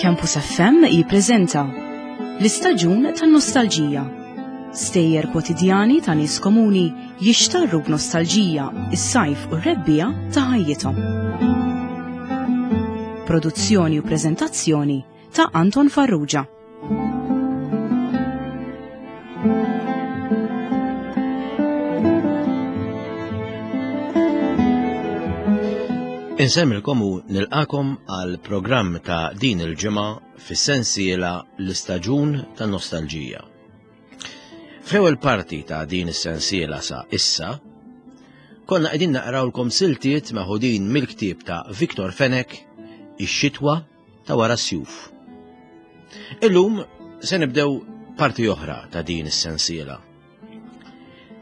Campus FM jippreżenta l-istaġun tan-nostalġija. Stejjer kwotidjani ta' nies komuni jixtarru b'nostalġija is-sajf u r-rebbiegħa ta' ħajjithom. Produzzjoni u preżentazzjoni ta' Anton Farrugia. Insemmilkom u nilqakom għal programm ta' din il-ġimgħa fis-sensiela l-istaġun ta' nostalġija. Fl-ewwel parti ta' din is-sensiela sa issa, konna qegħdin naqrawlkom siltiet meħudin mill-ktieb ta' Victor Fenech Ix-xitwa ta' wara s-sjuf. Illum se nibdew parti oħra ta' din is-sensiela.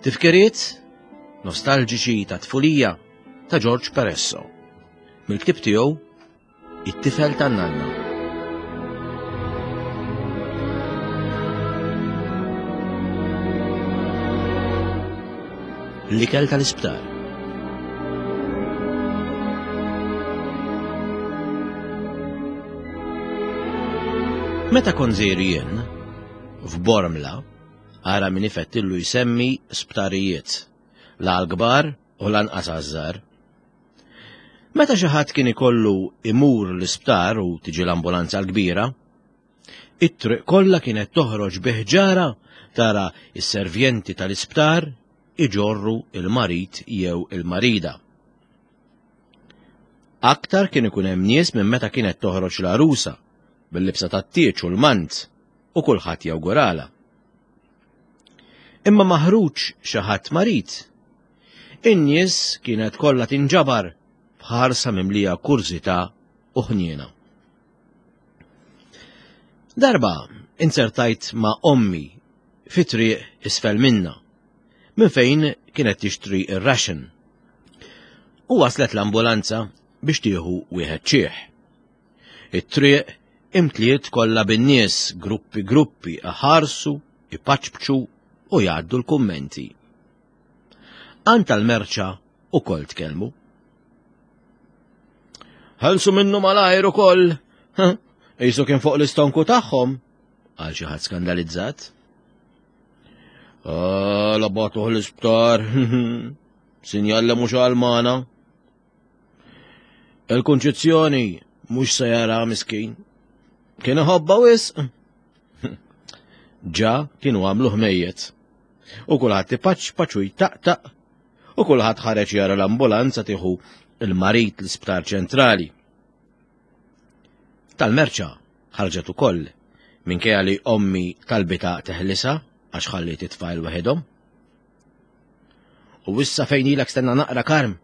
Tifkiriet nostalġiċi ta' tfulija ta' George Peresso mill-ktieb tiegħu It-tifel tan-nanna. L-ikel tal-isptar. Meta kont żgħir jien, f'Bormla, ara min ifettillu jsemmi sptarijiet, la għall-kbar u lanqas għaż-żgħar. Meta xi ħadd kien ikollu imur l-isptar u tiġi l-ambulanza l-kbira, it-triq kollha kienet toħroġ bi ħġara tara s-servjenti tal-isptar iġorru il-marid jew il-marida. Aktar kien ikun hemm nies minn meta kienet toħroġ l-għarusa bil-libsa tat-tieġ u l-mant u kulħadd jawguralha. Imma maħruġ xi ħadd marid. In-nies kienet kollha tinġabar b'ħarsa mimlija kurżità u ħniena. Darba inzertajt ma' ommi fi triq isfel minna, minn fejn kienet tixtri ir-ration. U waslet l-ambulanza biex tieħu wieħed ċieħ. It-triq imtliet kollha bin-nies gruppi gruppi iħarsu, ipaċpċu u jgħaddu l-kummenti. Għand tal-merċa ukoll tkellmu. Ħelsu minnu malajr ukoll. Qisu kien fuq l-istonku tagħhom, għal xi ħadd skandalizzat. Ah, la batuh l-isptar. Sinjal li mhux għalmana. Il-kunċizzjoni mhux se jara miskin. Kien iħobba wisq. Ġa kienu għamlu ħmejjet. U kulħadd ipaċ u jtaqtaq u kulħadd ħareġ jara l-ambulanza tieħu il-marit l-isptar ċentrali. Tal-merċa ħarġet ukoll minkejja li ommi talbita teħlisa għax ħalliet it-tfajl waħedhom. U issa fejn ilek stenna naqra karm.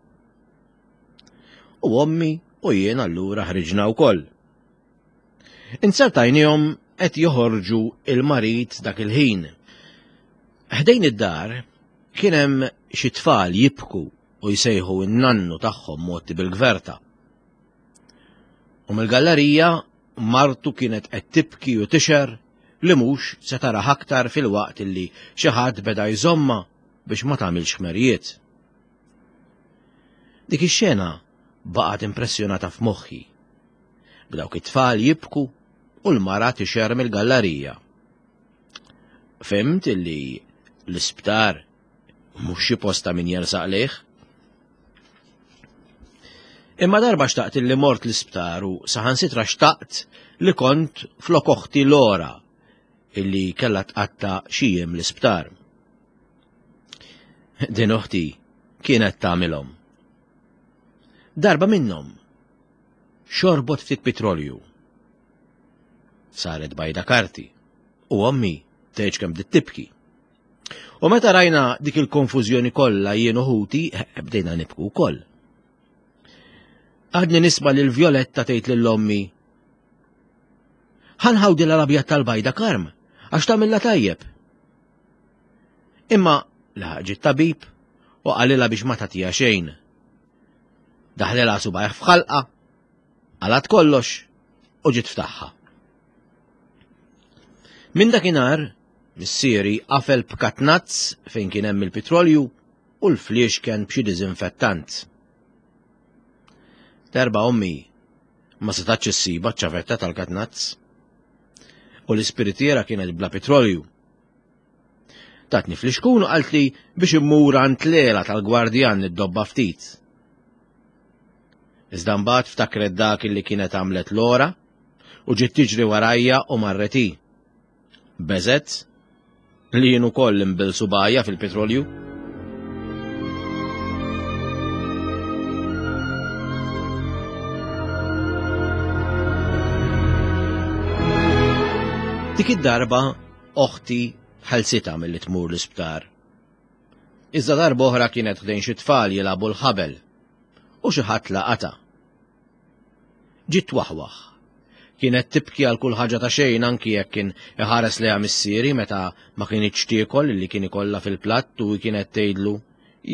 U ommi u jien allura ħriġna wkoll. Inzertajnihom qed joħorġu il-marid dak il-ħin. Ħdejn id-dar kien hemm xi tfal jibku u jsejħu n-nannu tagħhom motti bil-gverta. U mill-gallerija martu kienet qed tibki u tixer li mhux se taraha aktar filwaqt illi xi ħadd beda jżommha biex ma tagħmilx ħmerijiet. Dik ix-xena baqgħet impressjonata f'moħħi. B'dawk it-tfal jibku u l-mara tixer mill-gallarija. Fhimt illi l-isptar mhux xi post ta' min jersaq lejh. Imma darba xtaqt illi mort l-isptar u saħansitra xtaqt li kont flok oħti Lora illi kellha tqatta' xi jiem l-isptar. Din oħti kienet tagħmilhom. Darba minnhom xorbot ftit pitrolju. Saret bajda karti u ommi tgħidx kemm bdiet tibki. U meta rajna dik il-konfużjoni kollha jien u ħuti, eh, bdejna nibku wkoll. Għadni nisma' lil Violetta tgħid lil ommi. Ħanħawdilha l-abjad tal-bajda karm, għax tagħmilha tajjeb. Imma laħaq ġie tabib u qalilha biex ma tagħtiha xejn. Daħlilha subajh f'ħalqa, qalat kollox u ġiet ftaħħa. Minn dakinhar, missieri qafel b'katnazz fejn kien hemm il-pitrolju u l-fliexken b'xi diżinfettant. Darba ommi Ma setatx issibha ċ-ċavetta tal-katnazz. U l-ispiritiera kienet bla petrolju. Tatni flixkun u qaltli biex immur għand lela tal-gwardjan niddobba ftit. Iżda mbagħad ftakret dak li kienet għamlet Lora u ġiet tiġri warajja u marret hi. Beżet li jien ukoll inbill subgħajja fil-petrolju. Dik id-darba oħti ħelsitha milli tmur l-isptar. Iżda darba oħra kienet ħdejn xi tfal jilagħbu l-ħabel u xi ħadd laqatha. Ġiet twaħwaħ. Kienet tibki għal kull ħaġa ta' xejn anki jekk kien iħares lejha missieri meta ma kinitx tiekol li kien ikollha fil-platt u kienet tgħidlu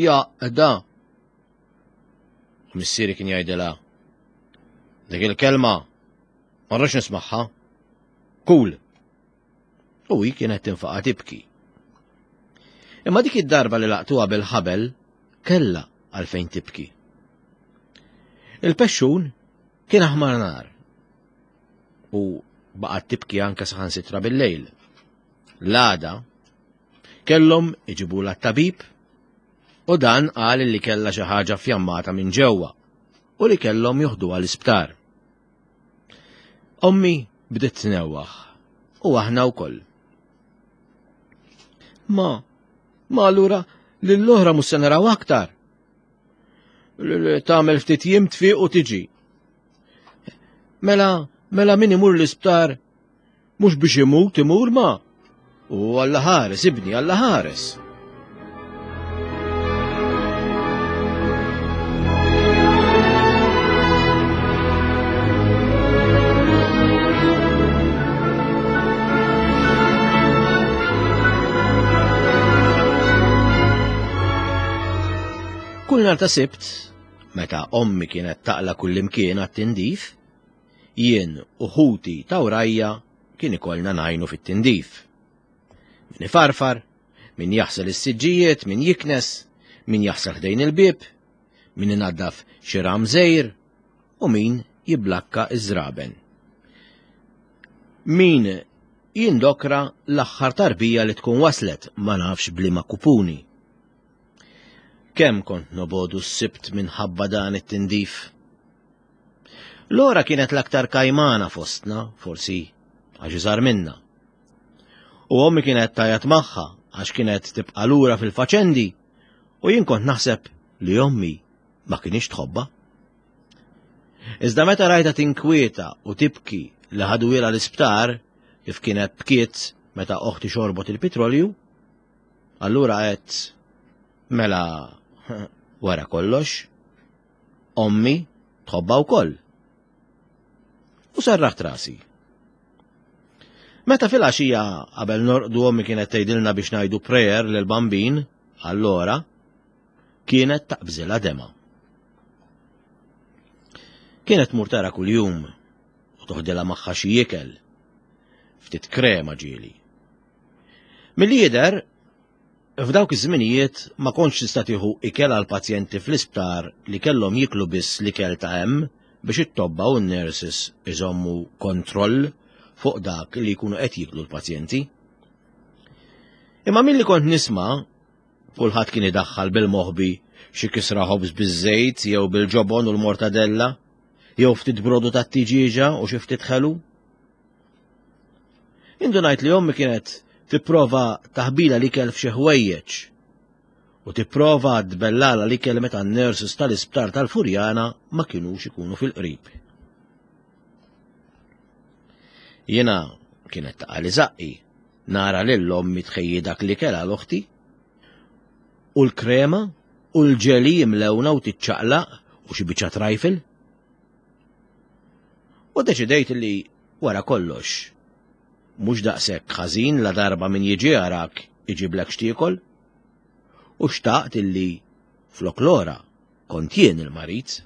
jaqda. U missieri kien jgħidilha dik il-kelma ma rridx nismagħha. Kul. U hi kienet tinfaqa' tibki. Imma dik id-darba li laqtuha bil-ħabel kellha għalfejn tibki. Il-pexxun kien aħmar nar u baqgħet tibki anke saħansitra bil-lejl. L-għada kellhom iġibula t-tabib u dan qal li kellha xi ħaġa fjammata minn ġewwa u li kellhom joħduha l-isptar. Ommi bdiet tnewwaħ u aħna wkoll. Ma, ma allura lill-oħra mhux se naraw aktar. Tagħmel ftit jiem tfiq u tiġi. Mela, mela min imur l-isptar mhux biex imut imur ma. U Alla ħares, ibni, Alla ħares. Kull nhar ta' Sibt, meta ommi kienet taqla kullimkien għat-tindif, jien u ħuti ta' wrajja kien ikollna ngħinu fit-tindif. Min ifarfar, min jaħsel is-siġġijiet, min jiknes, min jaħsel ħdejn il-bieb, min inaddaf xi ram żgħir u min jiblakka iż-żraben. Min jindokra l-aħħar tarbija li tkun waslet ma nafx bliema kupuni. Kemm kont nobodu s-sibt minħabba dan it-tindif. Lora kienet l-aktar kajmana fostna, forsi għax iżgħar minna. U ommi kienet tajat magħha għax kienet tibqa' lura fil-faċendi u jien kont naħseb li ommi ma kienx tħobba. Iżda meta rajta tinkwieta u tibki li ħadu l-isptar kif kienet bkiet meta oħti xorbot il-petrolju, allura għedt mela wara kollox Ommi tħobbha wkoll. U serraħt rasi. Meta fil-għaxija qabel norqdu ommi kienet tgħidilna biex ngħidu prayer lil bambin, allora kienet taqbżilha dema. Kienet tmur tara kuljum u toħdilha magħha xi ikel, ftit krema ġieli. Milli jidher, F'dawk iż-żminijiet ma kontx tista' tieħu ikel għall-pazjenti fl-isptar li kellhom jieklu biss l-ikel ta' hemm biex it-tobba u n-nurses iżommu kontroll fuq dak li jkunu qed jieklu l-pazjenti. Imma milli kont nisma' kulħadd kien idaħħal bil-moħbi xi kisra ħobż biż-żejt jew bil-ġobon u l-mortadella jew ftit brodu tat-tiġieġa u xi ftit ħelu. Indunajt li ommi kienet tipprova taħbila l-ikel f'xi ħwejjeġ u tipprova tbellala l-ikel meta n-nurses tal-isptar tal-Furjana ma kinux ikunu fil-qrib. Jiena kienet taqali zaqqi nara lil ommi tħejji dak l-ikel għal oħti u l-krema u l-ġeli jimlewna u tiċċaqlaq u xi biċċa trajfil. U deċidejt li wara kollox, mhux daqshekk ħażin la darba min jiġi jarak iġiblek x'tiekol. U xtaqt illi flok lora kont jien il-marid.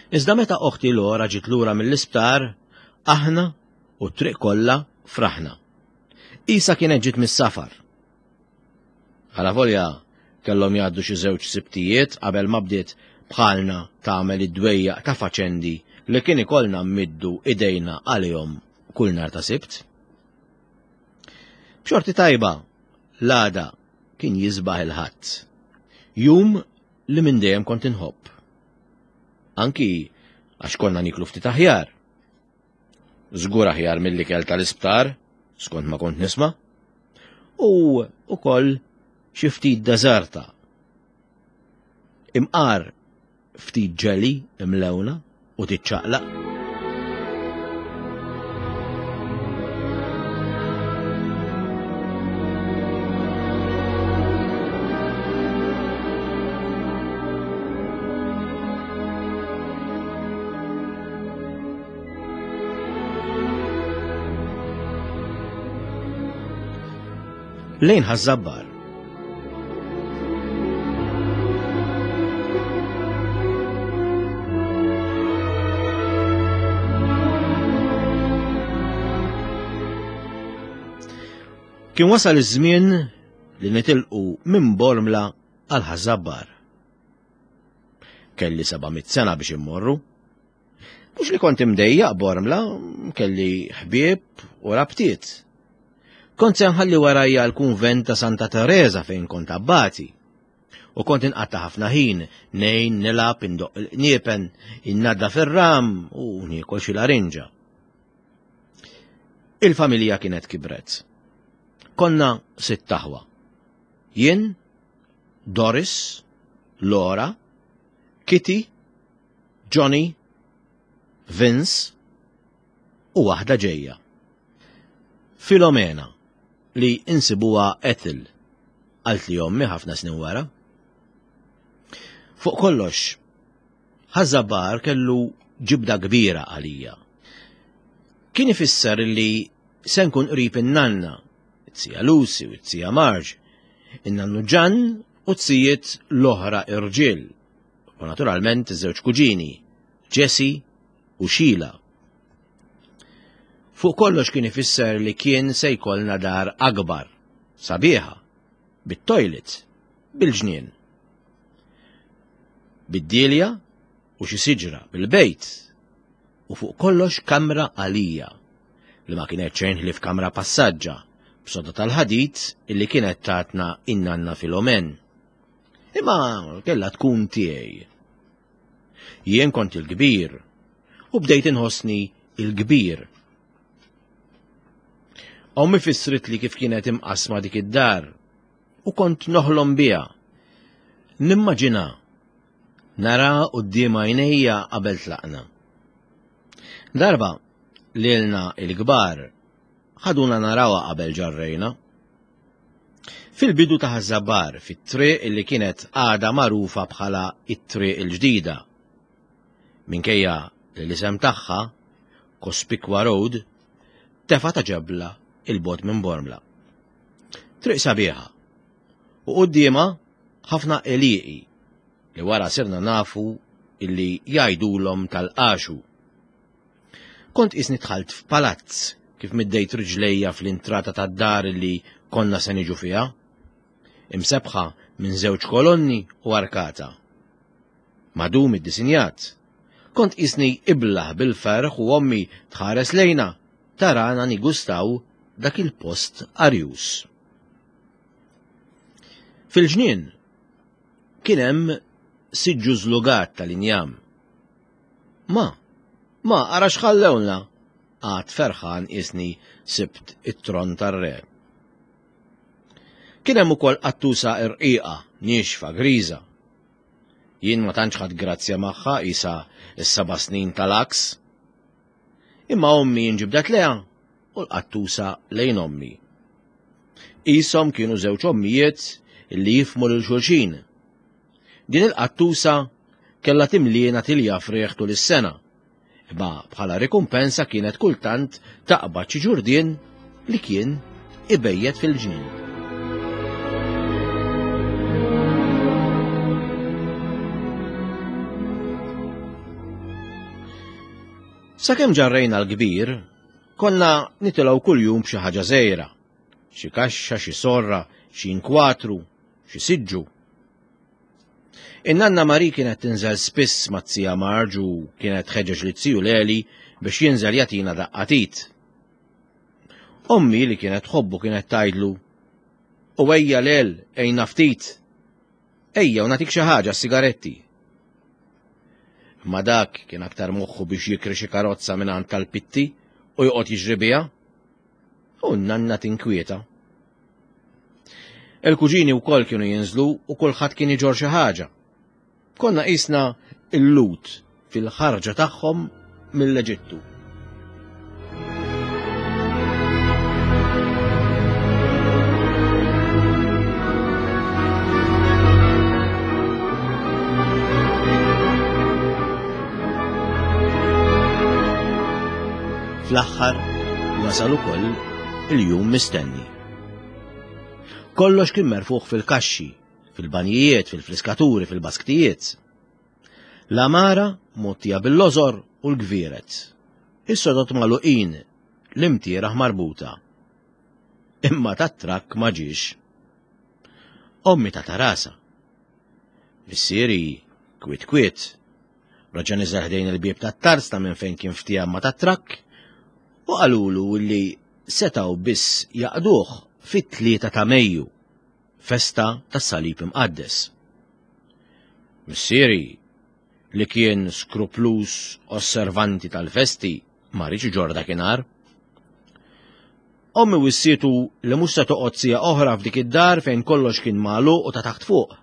Iżda meta oħti Lora ġiet lura mill-isptar, aħna u t-triq kollha fraħna. Isa kienet ġiet mis-safar. Alavolja kellhom jgħaddu xi żewġ Sibtijiet qabel ma bdiet bħalna tagħmel id-dwejjaq ta' faċendi li kien ikollna mmiddu idejna għalihom kull nhar ta' Sibt. B'xorti tajba, l-għada kien jisbaħ il-Ħadd. Jum li minn dejjem kont inħobb. Anki għax konna niklu ftit aħjar. Żgur aħjar mill-ikel tal-isptar, skont ma kont nisma'. U ukoll xi ftit deżerta. Imqar ftit ġeli imlewna u tiċċaqlaq. Lejn Ħaż-Żabbar. Kien wasal iż-żmien li nitilqu minn Bormla għal Ħaż-Żabbar. Kelli 700 sena biex immorru. Mhux li kont imdejjaq Bormla, kelli ħbieb u rabtiet. Kont se nħalli warajja l-kunvent ta' Santa Teresa fejn kont abbati. U kont inqatta' ħafna ħin, nejn, nilgħab, indoqq il-qniepen, innadda fir-ram u niekol xi larinġa. Il-familja kienet kibret. Konna sitt aħwa. Jien, Doris, Laura, Kitty, Johnny, Vince u waħda ġejja. Filomena, li insibuha Ethel, qaltli ommi ħafna snin wara. Fuq kollox, Ħaż-Żabbar kellu ġibda kbira għalija. Kien ifisser li se nkun qrib in-nanna, it-tija Lucy u t-tija Marge, in-nannu Ġann u t-tijiet l-oħra irġiel, u naturalment iż-żewġ kuġini, Jesse u Sheila. Fuq kollox kien ifisser li kien se jkollna dar akbar, sabiħa, bit-toilet, bil-ġnien. Bid-dielja u xi siġra bil-bejt u fuq kollox kamra għalija li ma kienet xejn ħlief kamra passaġġa b'soda tal-ħadid illi kienet tatna in-nanna Filomen. Imma kellha tkun tiegħi. Jien kont il-kbir u bdejt inħossni il-kbir. Ommi fissrit li kif kienet imqasma dik id-dar u kont noħlom biha. Nimmaġina nara quddiem għajnejja qabel tlaqna. Darba lilna il-kbar ħaduna narawha qabel ġarrejna. Fil-bidu ta' Ħaż-Żabbar, fit-triq li kienet għadha magħrufa bħala t-Triq il-Ġdida. Minkejja li l-isem tagħha, Cospicua Road, tefa' ta' ġebla 'il bogħod minn Bormla. Triq sabiħa u quddiemha ħafna għelieqi li wara sirna nafu illi jgħidulhom tal-qaxu. Kont qisni dħalt f'palazz kif middejt riġlejja fl-intrata tad-dar li konna se niġu fiha. Imsebbħa minn żewġ kolonni u arkata. Madum iddisinjat. Kont qisni iblah bil-ferħ u ommi tħares lejna tarana nigustaw dak il-post arjus. Fil-ġnien kien hemm siġġu żlugat tal-injam. Ma, ma, ara x'ħallewlna! Għad ferħan qisni sibt it-tron tar-re. Kien hemm ukoll qattusa irqiqa, niexfa, griża. Jien ma tantx ħadt grazzja magħha qisha s-seba' snin tal-għaks. Imma ommi inġibdet lejha u l-qattusa lejn ommi. Qishom kienu żewġ ommijiet li jifhmu lil xulxin. Din il-qattusa kellha timliena tilja frieħ tul is-sena, imma bħala rikumpensa kienet kultant taqbad xi ġurdien li kien ibejjet fil-ġnien. Sakemm ġarrejna l-kbir, konna nitilgħu kuljum b'xi ħaġa żgħira, xi kaxxa, xi sorra, xi inkwatru, xi siġġu. In-nanna Marie kienet tinżel spiss mat-zija Marge u kienet tħeġġeġ lit-ziju Leli biex jinżel jagħtina daqqa t'id. Ommi li kienet tħobbu kienet tgħidlu, U ejja Lel, għinna ftit. Ejja u nagħtik xi ħaġa sigaretti. Imma dak kien aktar moħħu biex jikri xi karozza mingħand tal-Pitti u joqgħod jiġri biha. U n-nanna tinkwieta. Il-kuġini wkoll kienu jinżlu u kulħadd kien iġorr xi ħaġa. Konna qisna l-Lhud fil-ħarġa tagħhom mill-Eġittu. Fl-aħħar wasal ukoll il-jum mistenni. Kollox kien merfuħ fil-kaxxi, fil-banjijiet, fil-friskaturi, fil-basktijiet. L-għamara mgħottija bil-lożor u l-gvieret. Is-sodod magħluqin, l-imtieraħ marbuta. Imma tat-trakk ma ġiex. Ommi tata rasha. Missieri, kwiet kwiet, raġa' niżel ħdejn il-bieb tat-tarzna minn fejn kien ftiehem ma' tat-trakk u qalulu li setgħu biss jaqduh fit-3 ta' Mejju, festa tas-Salib Imqaddes. Missieri, li kien skrupluż osservanti tal-festi, ma riedx iġorr dakinhar. Ommi wissietu li mhux se toqgħod siegħa oħra f'dik id-dar fejn kollox kien magħluq u ta' taħt fuq.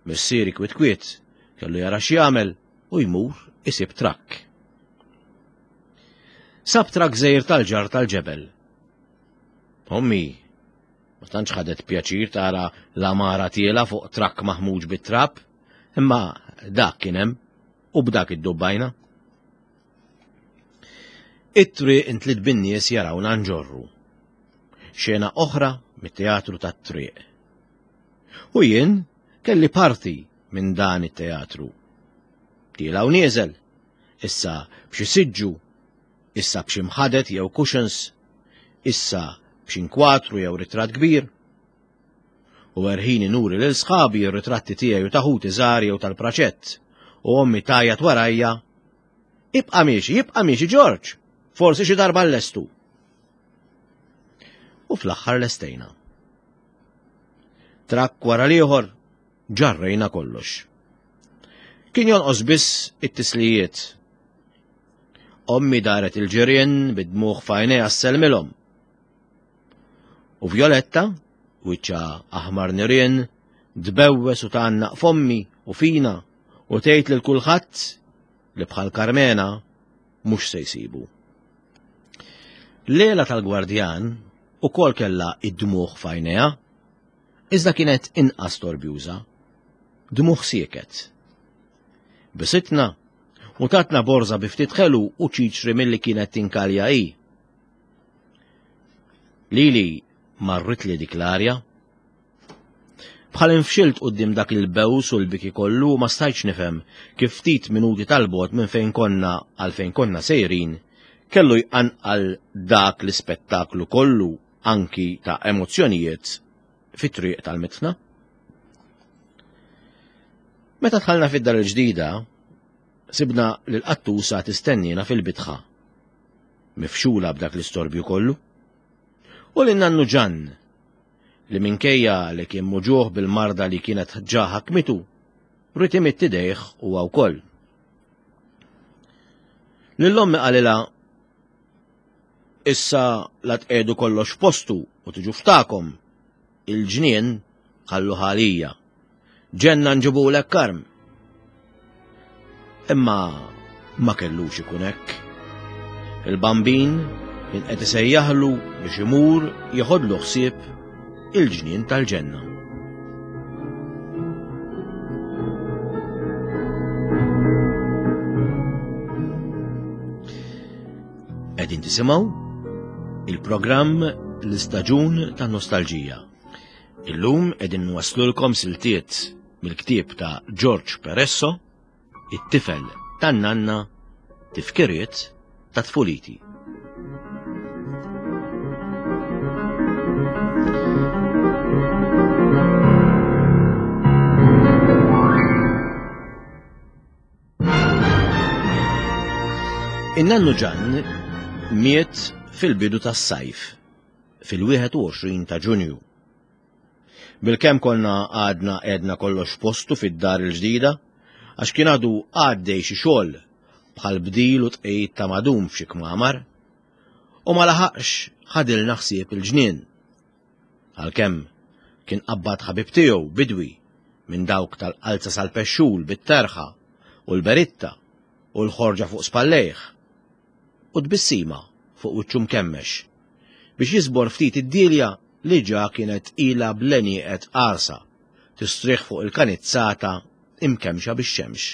Missieri kwiet kwiet kellu jara x'jagħmel u jmur isib trakk. Sab trakk żgħir tal-ġar tal-ġebel. Ommi ma tantx ħadet pjaċir tara l-għamara tiela fuq trakk maħmuġ bit-trab, imma dak kien hemm u b'dak iddubbajna. It-triq intliet bin-nies jarawna nġorru. Xena oħra mit-teatru tat-triq. U jien kelli parti minn dan it-teatru. Tiela u nieżel, issa b'xi siġġu, issa b'xi mħadet jew cushions, issa b'xi nkwatru jew ritratt kbir. U erħini nuri lil sħabi r-ritratti tiegħi u ta' ħuti żgħar jew tal-praċett, u ommi tgħajjat warajja, Ibqa' miexi, ibqa' miexi Ġorġ, forsi xi darba nlestu. U fl-aħħar lestejna. Trakk wara l-ieħor ġarrejna kollox. Kien jonqos biss it-tislijiet. Ommi daret il-ġirien bid-dmugħ f'għajnejha ssellmilhom. U Violetta, wiċċha aħmar nirien, tbewwes u tgħannaq f'ommi u fina u tgħid lil kulħadd li bħal Karmena mhux se jsibu. Lela tal-Gwardjan ukoll kellha id-dmugħ f'għajnejha, iżda kienet inqas torbjuża. Dmugħ sieket. Bisitna u tatna borża bi ftit ħelu u ċiċri milli kienet tinkalja hi. Lili marritli dik l-arja. Bħal infxilt quddiem dak il-bews u l-biki kollu ma stajtx nifhem kif ftit minuti tal-bogħod minn fejn konna għal fejn konna sejrin kellu jqanqal dak l-ispettaklu kollu anki ta' emozzjonijiet fit-triq tal-mitħna. Meta dħalna fid-dar il-ġdida, sibna l-qattusa tistennina fil-bitħa, mifxula b'dak l-istorbju kollu. U lil nannu Ġann, li minkejja li kien muġugħ bil-marda li kienet ġa ħakmitu, ried imidd idejh huwa wkoll. Lil ommi qalilha issa la tqiegħdu kollox f'postu u tiġu ftakom, il-ġnien ħalluh għalija. Ġenna nġibulek Karm. Imma ma kellux ikun hekk. Il-Bambin kien qed isejjaħlu biex imur jeħodlu ħsieb il-ġnien tal-ġenna. Qegħdin tisimgħu il-programm L-Istaġun tan-Nostalġija. Illum qegħdin nwasslulkom siltiet mill-ktieb ta' George Peresso, It-tifel tan-nanna, tifkiriet ta' tfuliti. In-nannu Ġann miet fil-bidu tas-sajf, fil-21 ta' Ġunju. Bilkemm konna għadna għedna kollox postu fid-dar il-ġdida, għax kien għadu għaddej xi xogħol bħal bdil u tqejjid ta' madum f'xi kmamar, u ma laħaqx ħadilna ħsieb il-ġnien. Għalkemm kien qabbad ħabib tiegħu bidwi minn dawk tal-qalza sal-pexxul bit-terħa u l-beritta u l-ħorġa fuq spallejh u tbissima fuq wiċċu mkemmex biex jiżbor ftit id-dielja li ġa kienet ilha bl-għenieqed qarsa tistrieħ fuq il-kanizzata imkemmxa bix-xemx.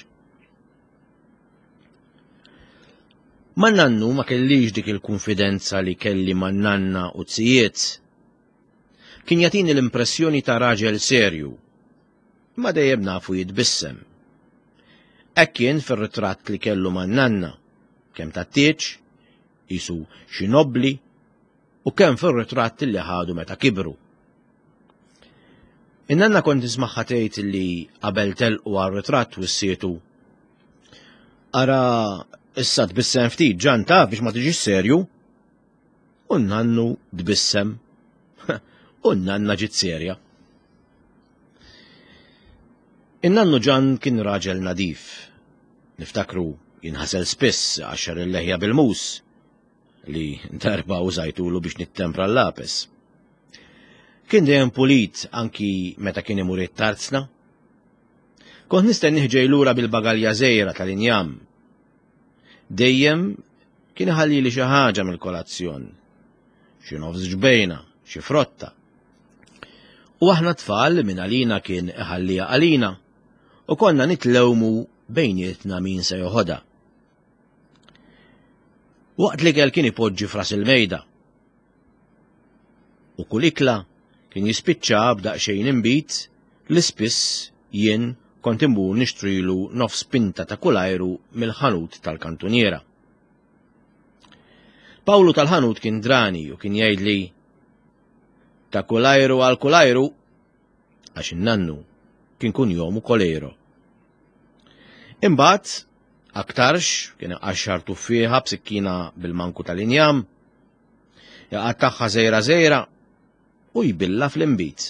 Man-nannu ma kellix dik il-kunfidenza li kelli man-nanna u zijiet. Kien jagħtini l-impressjoni ta' raġel serju, ma dejjem nafu jitbissem. Hekk kien fir-ritratt li kellu man-nanna, kemm tat-tieġ, qisu xi nobbli, u kemm fir-ritratt li ħadu meta kibru. In-nanna kont nismagħha tgħid li qabel telqu għar-ritratt wissietu. Ara issa tbissem ftit ġan taf biex ma tiġix serju. U n-nannu tbissem. U n-nanna ġiet serja. In-nannu ġan kien raġel nadif. Niftakru jinħasel spiss għaxar il-leħja bil-mus li darba użajtulu biex nittempra l-lapes. Kien dejjem pulit anki meta kien imur it-tarzna. Kont nistennih ġej lura bil-bagalja żgħira tal-injam. Dejjem kien iħallili xi ħaġa mill-kolazzjon. Xi nofs ġbejna, xi frotta. U aħna tfal minn għalina kien iħallija għalina u konna nitlewmu bejnietna min se joħodha. Waqt l-ikel kien ipoġġi fras il-mejda. U kull ikla kien jispiċċa b'daqsxejn inbid li spiss jien kont immur nixtrilu nofs pinta ta' kull ajru mill-ħanut tal-kantuniera. Pawlu tal-ħanut kien drani u kien jgħidli ta' kull ajru għal kull ajru għax in-nannu kien kunjomu Kolero. Imbagħad aktarx kien iqaxxar tuffieħa b'sikkina bil-manku tal-injam, iqattagħha żejra żejra u jbilla fl-inbid.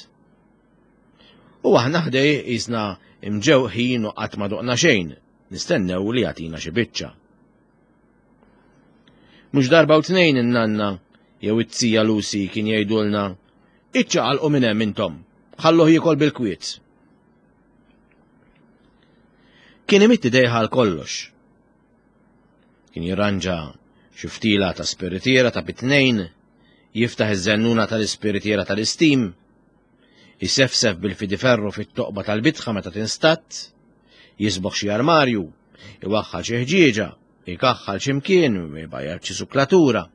U aħna ħdej qisna imġewħin u qatt ma doqna xejn, nistennew li jagħtina xi biċċa. Mhux darba u tnejn in-nanna jew it-tija Lucy kien jgħidulna iċċaqalqu minn hemm intom, ħalluh jiekol bil-kwiet. Kien imitt idejh għal kollox. Kien jirranġa xi ftila ta' spiritiera ta' bitnejn, jiftaħ iż-żennuna tal-ispiritiera tal-istim, jisefsef bil-fidiferru fit-toqba tal-bitħa meta tinstatt, jisboħ xi armarju, iwaħħal xi ħġieġa, ikaħħal xi mkien, ibajjar xi suklatura.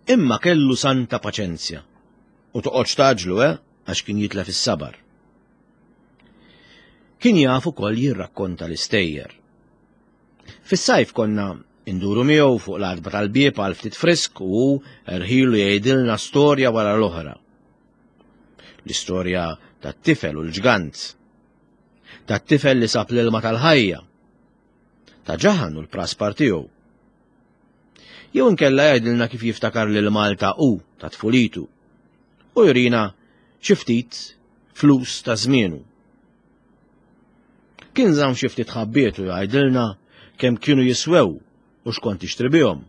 Imma kellu santa paċenzja. U toqgħodx taġlu, eh, għax kien jitlef is-sabar. Kien jaf ukoll jirrakkonta l-istejjer. Fis-sajf konna induru miegħu fuq l-għatba tal-bieb għal ftit frisk u rħilu jgħidilna storja wara l-oħra. L-istorja tat-tifel u l-ġgant. Tat-tifel li sab l-ilma tal-ħajja. Ta' ġaħan u l-praspar tiegħu. Jew inkella jgħidilna kif jiftakar lil Malta u ta' tfulitu. U jurina xi ftit flus ta' żmienu. Kien żamm xi ftit ħabbiet u jgħidilna kemm kienu jiswew u x'kont tixtri bihom.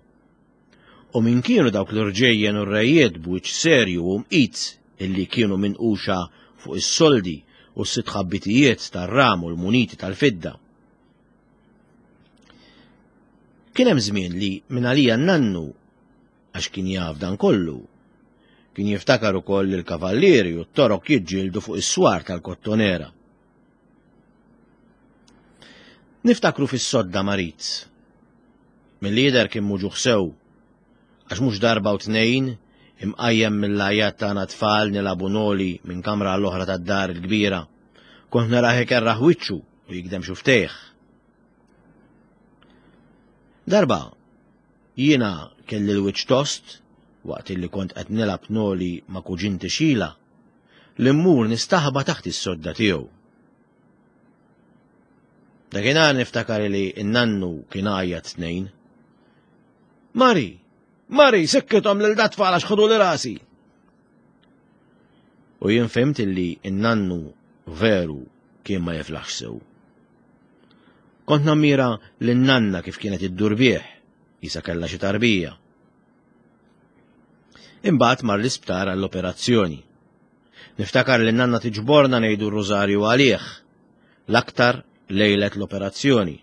U min kienu dawk l-irġejjen u r-rejiet b'wiċċ serju u mqit illi kienu minquxa fuq is-soldi u s-sitt ħabbitijiet tar-ram u l-muniti tal-fidda. Kien hemm żmien li minn għalija n-nannu għax kien jaf dan kollu. Kien jiftakar ukoll il-kavallieri u t-torok jiġġieldu fuq is-swar tal-Kottonera. Niftakru fis-sodda marid. Mill-lider kien muġuħ sew, għax mhux darba u tnejn imqajjem mill-għajat tagħna tfal nilagħbu noli minn kamra għall-oħra tad-dar il-kbira. Kont narah ikerraħ wiċċu u jikdem xuftejh. Darba, Jiena kelli l-wiċċ tost waqt illi kont qed nilgħab noli ma' kuġinti Sheila li mmur nistaħba taħt is-sodda tiegħu. Dakinhar niftakar li n-nannu kien għajjat tnejn. Mari! Mari, sikkithom lil dat-tfal għax ħadu li rasi! U jien fhimt illi n-nannu veru kien ma jiflaħx sew. Kont nammira lin-nanna kif kienet iddur bih, jisa kellha xi tarbija. Imbagħad mar l-isptar għall-operazzjoni. Niftakar li nanna tiġborna ngħidu r-rużarju għalih, l-aktar lejlet l-operazzjoni.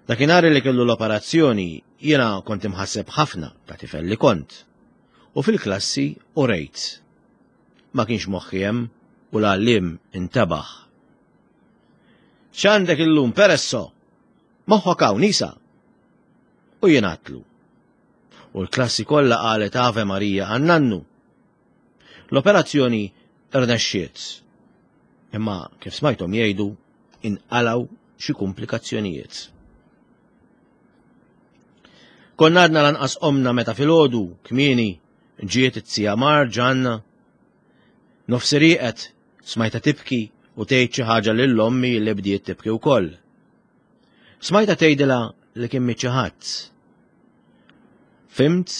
Dakinhar li kellu l-operazzjoni jiena kont imħasseb ħafna ta' tifel li kont. U fil-klassi u rejt. Ma kienx moħħi hemm u l-għalliem intebaħ. X'għandek illum peresso? Moħħok hawn isa. U jien għatlu. U l-klassi kollha qalet Ave Marija għan-nannu. L-operazzjoni rnexxiet. Imma kif smajthom jgħidu inqalgħu xi kumplikazzjonijiet. Konna għadna lanqas qomna meta filgħodu kmieni ġiet it-tija Mar ġanna. Nofsi rieqet smajta tibki u tgħid xi ħaġa lil ommi li bdiet tibki wkoll. Smajta tgħidilha li kien miet xi ħadd. Fimt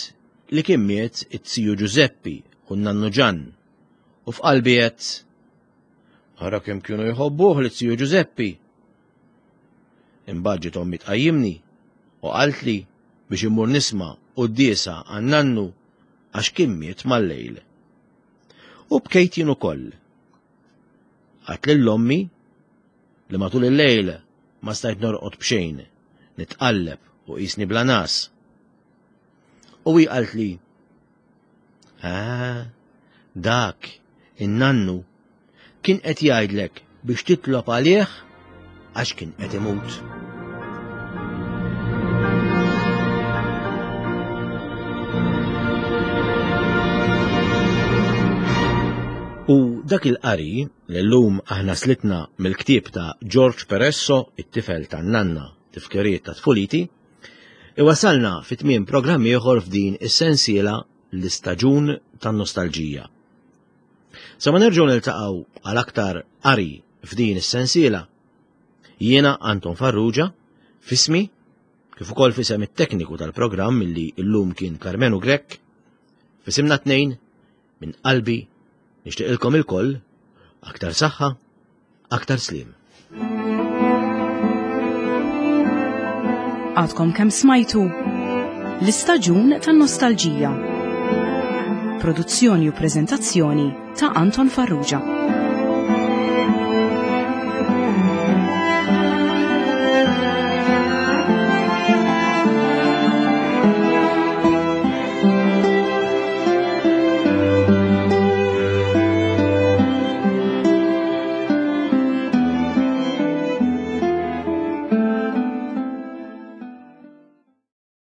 li kien miet it-tiju Ġużeppi u n-nannu Ġann u f'qalbi għedt Ara kemm kienu jħobbuh li tiju Ġużeppi. Imbagħad ġiet ommi tqajjimni u qaltli biex immur nisma' quddiesa għan-nannu għax kien miet mal-lejl. U bkejt jien ukoll. Għat lil ommi li matul il-lejl ma stajt norqod b'xejn, nitqalleb u qisni bla nas. U hi qaltli, Ah, dak, in-nannu, kien qed jgħidlek biex titlob għalih għax kien qed imut. U dak il-qari li llum aħna slitna mill-ktieb ta' George Peresso, it-tifel tan-nanna, tifkiriet ta' tfuliti, iwasalna fi tmiem programm ieħor f'din is-sensiela l-istaġun tan-nostalġija. Sa ma nerġgħu niltaqgħu għal aktar qari f'din is-sensiela, jiena Anton Farrugia, fismi, kif ukoll fisem it-tekniku tal-programm illi llum kien Karmenu Grech, fisimna tnejn Minn qalbi nixtieqilkom ilkoll aktar saħħa, aktar sliem. Għadkom kemm smajtu l-istaġun tan-nostalġija. Produzzjoni u preżentazzjoni ta' Anton Farrugia.